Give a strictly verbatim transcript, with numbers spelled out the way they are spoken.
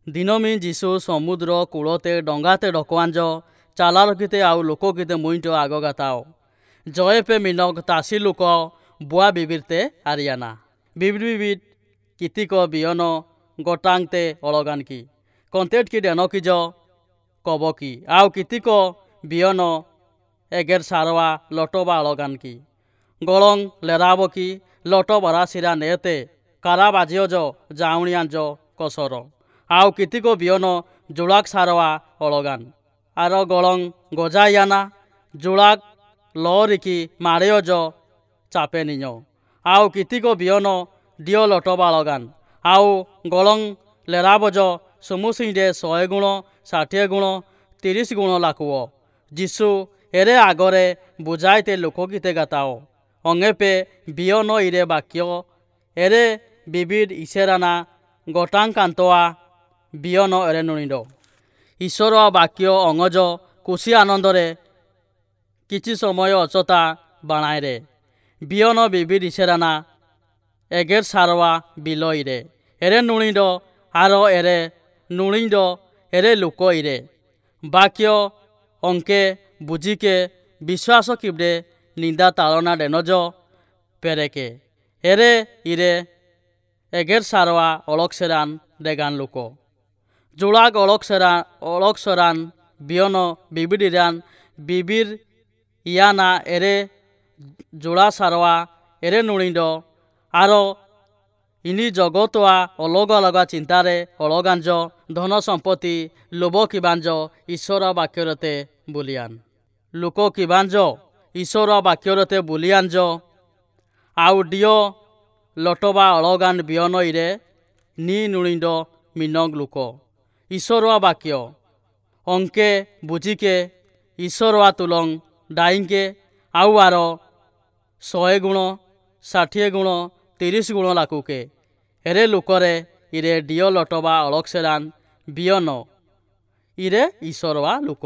ଦିନମି ଯୀଶୁ ସମୁଦ୍ର କୂଳତେ ଡଙ୍ଗାତେ ଡକୱାଞ୍ଜ ଚାଲାରକିତେ ଆଉ ଲୋକକିତେ ମୁଇଁଟ ଆଗ ଗାତାଅ। ଜୟପେ ମିନକ ତାସି ଲୋକ ବୁଆ ବିବିରତେ ଆରିଆନା। ବିବିର ବିବିର କିତିକ ବିୟନ ଗୋଟାংতে ଅଳଗାନକି କନ୍ତେଟ କି ଡେନକିଜ କବକି ଆଉ କିତିକ ବିୟନ ଏଗେର ସାରୱା ଲଟବା ଅଳଗାନକି ଗଳଂ ଲେରାବକି ଲଟ ବରାସିରା ନେତେ କାରା ବାଜିଅଜ ଜାଉଣିଆଞ୍ଜ କସର ଆଉ କିତିକ ବିୟନ ଜୁଳାକ ସାରୱା ଅଳଗାନ ଆର ଗଳଂ ଗଜାଇଆନା ଜୁଳାକ ଲରିକି ମାଡ଼େଅଜ ଚାପେ ନିଜ ଆଉ କିତିକ ବିୟନ ଦିଅ ଲଟବା ଅଳଗାନ ଆଉ ଗଳଂ ଲେରାବଜ ସୁମୁସିଂରେ ଶହେ ଗୁଣ, ଷାଠିଏ ଗୁଣ, ତିରିଶ ଗୁଣ ଲାକୁଅ। ଯୀଶୁ ଏରେ ଆଗରେ ବୁଝାଇତେ ଲୋକଗୀତେ ଗାତାଅ। ଅଙ୍ଗେପେ ବିୟନ ଇରେ ବାକ୍ୟ ଏରେ ବିବିଧ ଇସେରାନା ଗୋଟାଙ୍କାନ୍ତଆ ବିୟନ ଏରେ ନୁଣିଡ। ଈଶ୍ୱର ବାକ୍ୟ ଅଙ୍ଗଜ ଖୁସି ଆନନ୍ଦରେ କିଛି ସମୟ ଅଚତା ବାଣାଇରେ। ବିୟନ ବିବିଧ ଇସେରାନା ଏଗେର ସାରୱା ବିଲ ଇରେ। ଏରେ ନୁଣିଡ ଆର ଏରେ ନୁଣିଡ ଏରେ ଲୋକ ଇରେ। ବାକ୍ୟ ଅଙ୍କେ ବୁଝିକେ ବିଶ୍ୱାସ କିବଡେ ନିନ୍ଦା ତାଳନା ଡେନଜ ପେରେକେ। ଏରେ ଇରେ ଏଗେର ସାରୱା ଅଳକସେରାନ ଡେଗାନ ଲୋକ। ଜୁଳାଗ ଅଳକସେରା ଅଳକସରାନ ବିୟନ ବିବିଡ଼ିରାନ ବିବିର ଇୟାନା ଏରେ ଜୁଳା ସାରୱା ଏରେ ନୁଣିଡ ଆର ଇନି ଜଗତୁଆ ଅଲଗା ଅଲଗା ଚିନ୍ତାରେ ଅଳଗାଞ୍ଜ ଧନ ସମ୍ପତ୍ତି ଲୋଭ କିବାଞ୍ଜ ଈଶ୍ୱର ବାକ୍ୟରତେ ବୁଲିଆନ। ଲୋକ କିବାଞ୍ଜ ଈଶ୍ୱର ବାକ୍ୟରତେ ବୁଲିଆଞ୍ଜ ଆଉ ଡିଅ ଲଟବା ଅଳଗାନ ବିୟନ ଇରେ ନି ନୁଣିଡ ମିନଗ ଲୋକ। ଈଶ୍ୱର ବାକ୍ୟ ଅଙ୍କେ ବୁଝିକେ ଈଶ୍ୱର ତୁଲଂ ଡାଇଙ୍କେ ଆଉ ଆର ଶହେ ଗୁଣ, ଷାଠିଏ ଗୁଣ, ତିରିଶ ଗୁଣ ଲାକୁକେ। ଏରେ ଲୋକରେ ଇରେ ଡିଅ ଲଟବା ଅଳକସେରାନ ବିୟନ ଇରେ ଈଶ୍ୱରଆ ଲୋକ।